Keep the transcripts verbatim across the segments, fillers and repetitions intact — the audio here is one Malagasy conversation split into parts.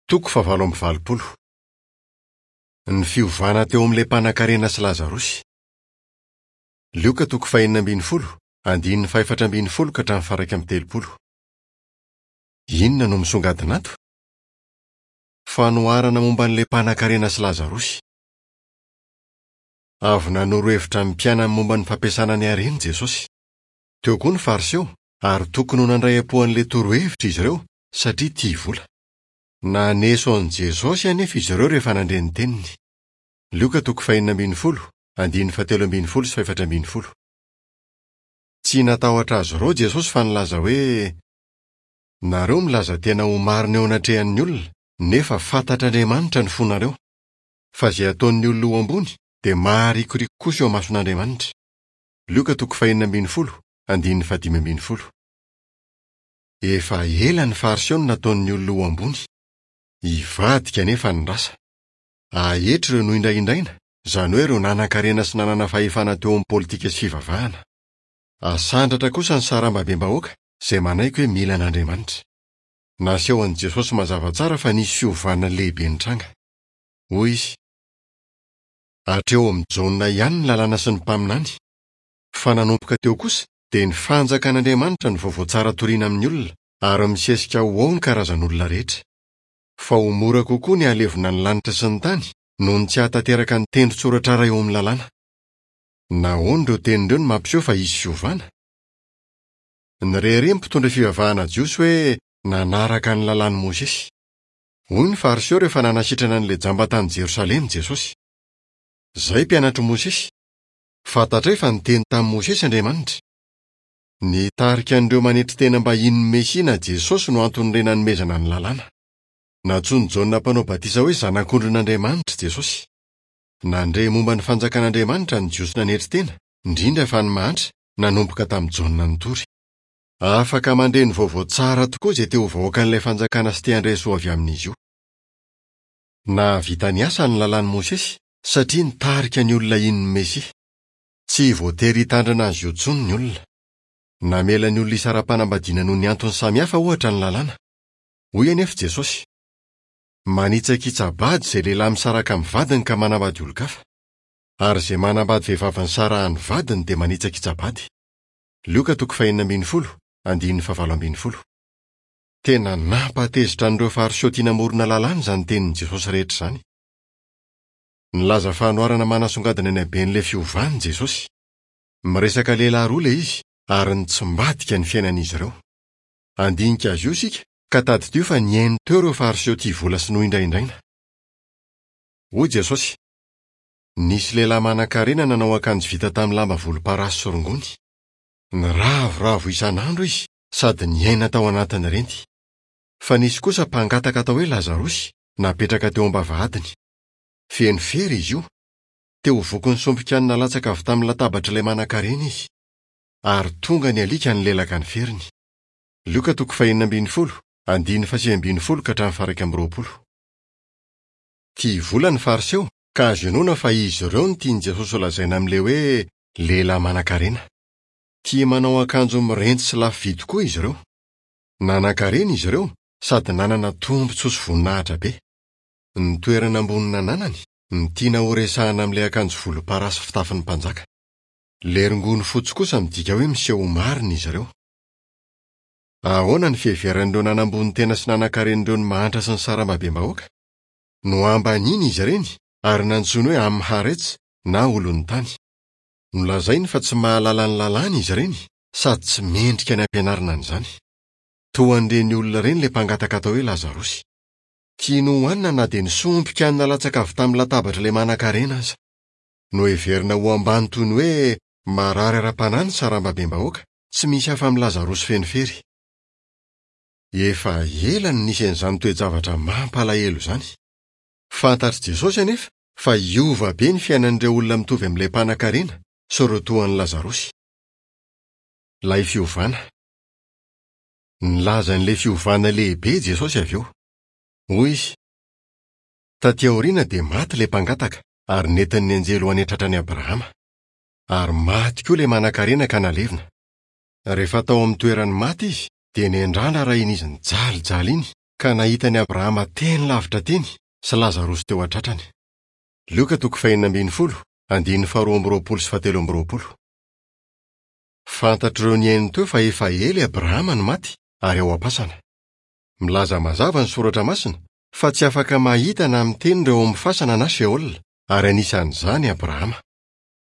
Toko fahavalo amby valopolo. Ny fiovana teo amin'ilay mpanankarena sy Lazarosy. Lioka toko fahenina ambin'ny folo, andininy fahefatra ambin'ny folo ka hatramin'ny faha-iraika amby telopolo. Inona no misongadina ato? Fanoharana momba an'ilay mpanankarena sy Lazarosy. Avy nanoro hevitra ny mpianany momba ny fampiasana ny hareny Jesosy. Teo koa ny Fariseo, ary tokony ho nandray am-po an'ilay torohevitra izy ireo, satria tia vola. Naneso an'i Jesosy anefa izy ireo rehefa nandre ny teniny. Lioka toko fahenina ambin'ny folo, andininy fahatelo ambin'ny folo sy fahefatra ambin'ny folo. Tsy natahotra azy ireo Jesosy fa nilaza hoe: Nareo milaza tena ho marina eo anatrehan'ny olona, nefa fantatr'Andriamanitra ny fonareo. Fa izay ataon'ny olona ho ambony dia maharikoriko kosa eo imason'Andriamanitra. Lioka toko fahenina ambin'ny folo, andininy fahadimy ambin'ny folo. Efa ela ny Fariseo no nataon'ny olona ho ambony. Hivadika anefa ny rasa. Haetry ireo nohindrahindraina, izany hoe ireo nanan-karena sy nanana fahefana teo amin'ny politika sy fivavahana. Hasandratra kosa ny sarambabem-bahoaka izay manaiky hoe mila an'Andriamanitra. Nasehon'i Jesosy mazava tsara fa nisy fiovana lehibe nitranga. Hoy izy: Hatreo amin'i Jaona ihany ny lalàna sy ny mpaminany. Fa nanomboka teo kosa dia ny fanjakan'Andriamanitra no vaovao tsara torina amin'ny olona, ary misesika ho ao ny karazan'olona rehetra. Fa ho mora kokoa ny hahalevona ny lanitra sy ny tany noho ny tsy hahatanteraka ny tendron-tsoratra iray eo amin'ny lalàna. Nahoana ireo teny ireo no mampiseho fa hisy fiovana? Nirehareha ny mpitondra fivavahana jiosy hoe nanaraka ny lalàn'i Mosesy. Hoy ny Fariseo rehefa nanasitrana an'ilay jamba tany Jerosalema Jesosy: Izahay mpianatr'i Mosesy. Fantatray fa niteny tamin'i Mosesy Andriamanitra. Nitarika an'ireo manetry tena mba hino ny Mesia na Jesosy no anton'ireny nanomezana ny lalàna. Nantsoin'i Jaona mpanao batisa hoe Zanak'ondrin'Andriamanitra Jesosy. Nandre momba ny fanjakan'Andriamanitra ny Jiosy nanetry tena, indrindra fa ny mahantra, nanomboka tamin'i Jaona nitory. Afaka mandre ny vaovao tsara tokoa izay te ho vahoakan'ilay fanjakana sy te handray soa avy amin'izy io. Nahavita ny asa ny lalàn'i Mosesy satria nitarika ny olona hino ny Mesia. Tsy voatery hitandrina azy io intsony ny olona. Namela ny olona hisara-panambadiana noho ny antony samihafa ohatra ny lalàna. Hoy anefa Jesosy: Manitsakitsa-bady izay lehilahy misaraka amin'ny vadiny ka manambady olon-kafa. Ary izay manambady vehivavy nisarahan'ny vadiny dia manitsakitsa-bady. Lioka toko fahenina ambin'ny folo, andininy fahavalo ambin'ny folo. Tena nampatezitra an'ireo Fariseo tia namorona lalàna izany tenin'i Jesosy rehetra izany. Nilaza fanoharana manasongadina ny haben'ilay fiovana Jesosy. Miresaka lehilahy roa ilay izy ary nitsimbadika ny fiainan'izy ireo. Handinika azy io isika ka tadidio fa nihaino teo ireo Fariseo tia vola sy nohindrahindraina. Hoy Jesosy: Nisy lehilahy manan-karena nanao akanjo vita tamin'ny lamba volomparasy sy rongony. Niravoravo isan'andro izy sady niaina tao anatin'ny renty. Fa nisy kosa mpangataka atao hoe Lazarosy napetraka teo am-bavahadiny. Feno fery izy io. Te ho vokin'ny sombin-kanina latsaka avy tamin'ny latabatr'ilay manan-karena izy. Ary tonga ny alika nilelaka ny feriny. Lioka toko fahenina ambin'ny folo, andininy fahasivy ambin'ny folo ka hatramin'ny faha-iraika amby roapolo. Tia vola ny Fariseo ka azo inoana fa izy ireo no tian'i Jesosy holazaina amin'ilay hoe lehilahy manan-karena. Tia manao akanjo mirenty sy lafo vidy koa izy ireo. Nanan-karena izy ireo sady nanana tombontsoa sy voninahitra be. Ny toerana ambony nananany no tiana horesahana amin'ilay akanjo volomparasy fitafin'ny mpanjaka. Ilay rongony fotsy kosa midika hoe miseho ho marina izy ireo. Ahoana ny fiheveran'ireo nanambony tena sy nanan-karena ireo ny mahantra sy ny sarambabem-bahoaka? Nohambanina izy ireny ary nantsoiny hoe Amharets na olon'ny tany. Nolazainy fa tsy mahalala ny lalàna izy ireny sady tsy mendrika ny hampianarina an'izany. Toa an'ireny olona ireny ilay mpangataka atao hoe Lazarosy. Tiany hohanina na dia ny sombin-kanina latsaka avy tamin'ny latabatr'ilay manan-karena aza. Noheverina ho ambany toy ny hoe marary ara-panahy ny sarambabem-bahoaka, tsy misy hafa amin'i Lazarosy feno fery. Efa ela no nisy an'izany toe-javatra mampalahelo izany. Fantatr'i Jesosy anefa fa hiova be ny fiainan'ireo olona mitovy amin'ilay mpanankarena sy ireo toa an'i Lazarosy. Ilay fiovana. Nilaza an'ilay fiovana lehibe Jesosy avy eo. Hoy izy: Taty aoriana dia maty ilay mpangataka ary nentin'ny anjely ho any an-tratran'i Abrahama. Ary maty koa ilay manankarena ka nalevina. Rehefa tao amin'ny toeran'ny maty izy dia nendrana raha iny izy nijalijaly iny ka nahita an'i Abrahama teny lavitra teny sy Lazarosy teo an-tratrany. Lioka toko fahenina ambin'ny folo, andininy faharoa amby roapolo sy fahatelo amby roapolo. Fantatr'ireo nihaino teo fa efa ela i Abrahama no maty ary ao am-pasana. Milaza mazava ny soratra masina fa tsy afaka mahita na miteny ireo ao amin'ny fasana na Sheol, ary anisan'izany Abrahama.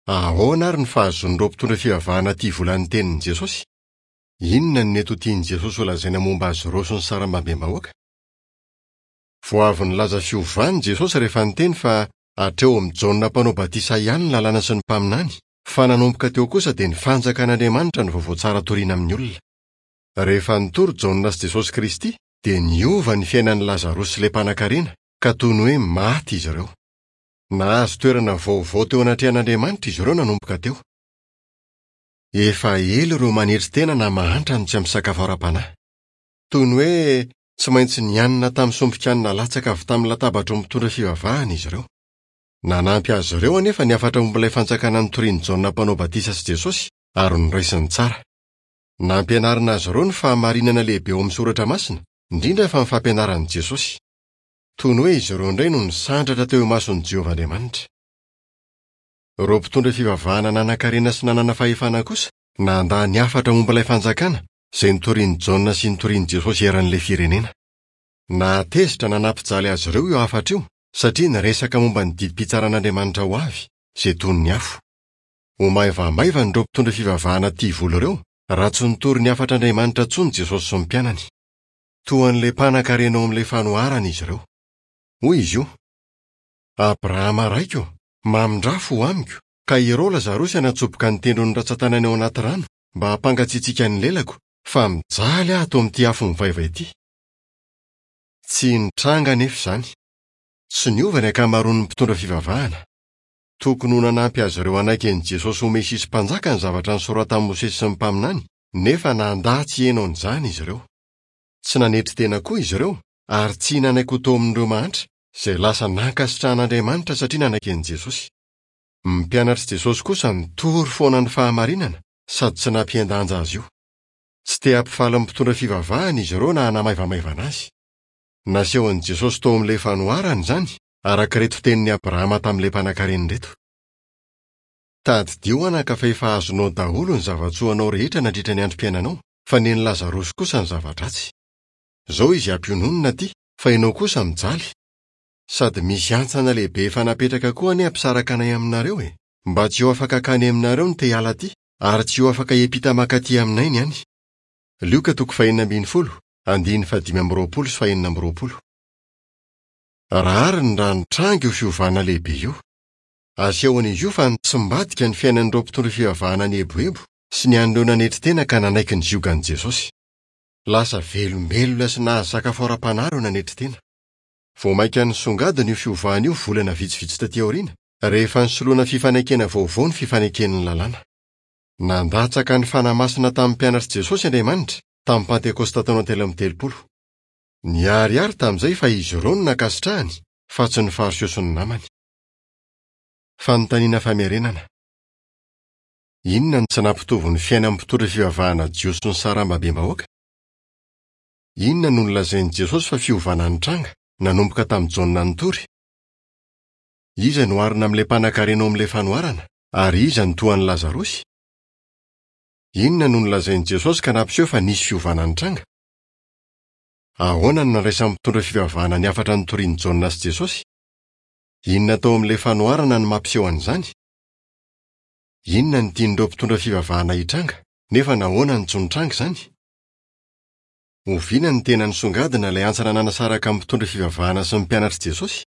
Ahoana ary ny fahazoan'ireo mpitondra fivavahana tia vola ny tenin'i Jesosy? Inona no nety ho tian'i Jesosy ho lazaina momba azy ireo sy ny sarambabem-bahoaka? Vao avy nilaza fiovana Jesosy rehefa niteny fa hatreo amin'i Jaona mpanao batisa ihany ny lalàna sy ny mpaminany, fa nanomboka teo kosa dia ny fanjakan'Andriamanitra no vaovao tsara toriana amin'ny olona. Rehefa nitory Jaona sy Jesosy Kristy dia niova ny fiainan'i Lazarosy sy ilay mpanankarena ka toy ny hoe maty izy ireo. Nahazo toerana vaovao teo anatrehan'Andriamanitra izy ireo nanomboka teo. Efa ela ireo manetry tena na mahantra no tsy ampy sakafo ara-panahy. Toy ny hoe tsy maintsy nihanina tamin'ny sombin-kanina latsaka avy tamin'ny latabatra mitondra fivavahana izy ireo. Nanampy azy ireo anefa ny hafatra momba ilay fanjakana notorian'i Jaona mpanao batisa sy Jesosy ary noraisiny tsara. Nampianarina azy ireo ny fahamarinana lehibe ao amin'ny soratra masina, indrindra fa ny fampianaran'i Jesosy. Toy ny hoe izy ireo indray no nisandratra teo imason'i Jehovah Andriamanitra. Ireo mpitondra fivavahana nanan-karena sy nanana fahefana kosa nandà ny hafatra momba ilay fanjakana izay notorian'i Jaona sy notorian'i Jesosy eran'ilay firenena. Nahatezitra na nampijaly azy ireo io hafatra io satria niresaka momba ny didim-pitsaran'Andriamanitra ho avy izay toy ny afo. Ho maivamaivana ireo mpitondra fivavahana tia vola ireo raha tsy nitory ny hafatr'Andriamanitra intsony Jesosy sy ny mpianany. Toa an'ilay mpanankarena ao amin'ilay fanoharana izy ireo. Hoy izy io: Abrahama raiko, mamindrà fo amiko, ka ireo Lazarosy hanatsoboka ny tendron'ny ratsan-tanany ao anaty rano mba hampangatsiatsiaka ny lelako, fa mijaly aho ato amin'ity afo mivaivay ity. Tsy nitranga anefa izany. Tsy niova ny ankamaroan'ny mpitondra fivavahana. Tokony ho nanampy azy ireo hanaiky an'i Jesosy ho Mesia sy mpanjaka ny zavatra nosoratan'i Mosesy sy ny mpaminany, nefa nandà tsy hihaino an'izany izy ireo. Tsy nanetry tena koa izy ireo ary tsy nanaiky ho tao amin'ireo mahantra izay lasa nankasitrahan'Andriamanitra satria nanaiky an'i Jesosy. Ny mpianatr'i Jesosy kosa nitory foana ny fahamarinana sady tsy nampihen-danja azy io. Tsy te hampifaly ny mpitondra fivavahana izy ireo na hanamaivamaivana azy. Nasehon'i Jesosy tao amin'ilay fanoharana izany, araka ireto tenin'i Abrahama tamin'ilay mpanankarena ireto. Tadidio anaka fa efa azonao daholo ny zava-tsoanao rehetra nandritra ny androm-piainanao, fa nen'i Lazarosy kosa ny zava-dratsy. Izao izy ampiononina aty, fa ianao kosa mijaly. Sady misy hantsana lehibe efa napetraka koa anie hampisaraka anay aminareo e, mba tsy ho afaka hankany aminareo ny te hiala aty, ary tsy ho afaka hiampita mankaty aminay ny any. Lioka toko fahenina ambin'ny folo, andininy fahadimy amby roapolo sy fahenina amby roapolo. Rariny raha nitranga io fiovana lehibe io. Asehon'izy io fa nitsimbadika ny fiainan'ireo mpitondra fivavahana nieboebo sy ny an'ireo nanetry tena ka nanaiky ny ziogan'i Jesosy. Lasa velombelona sy nahazo sakafo ara-panahy ireo nanetry tena. Vao mainka nisongadina io fiovana io volana vitsivitsy taty aoriana, rehefa nisoloana fifanekena vaovao ny fifaneken'ny lalàna. Nandatsaka ny Fanahy Masina tamin'ny mpianatr'i Jesosy Andriamanitra tamin'ny Pantekosta taona telo amby telopolo. Niharihary tamin'izay fa izy ireo no nankasitrahany fa tsy ny Fariseo sy ny namany. Fanontaniana famerenana. Inona no tsy nampitovy ny fiainan'ny mpitondra fivavahana Jiosy sy ny sarambabem-bahoaka? Inona no nolazain'i Jesosy fa fiovana nitranga nanomboka tamin'i Jaona nitory? Iza no oharina amin'ilay mpanankarena ao amin'ilay fanoharana ary iza no toa an'i Lazarosy? Inona no nolazain'i Jesosy ka nampiseho fa nisy fiovana nitranga? Ahoana no nandraisan'ny mpitondra fivavahana ny hafatra notorian'i Jaona sy Jesosy? Inona tao amin'ilay fanoharana no mampiseho an'izany? Inona no tian'ireo mpitondra fivavahana hitranga, nefa nahoana no tsy nitranga izany? Oviana no tena nisongadina ilay hantsana nanasaraka ny mpitondra fivavahana sy ny mpianatr'i Jesosy?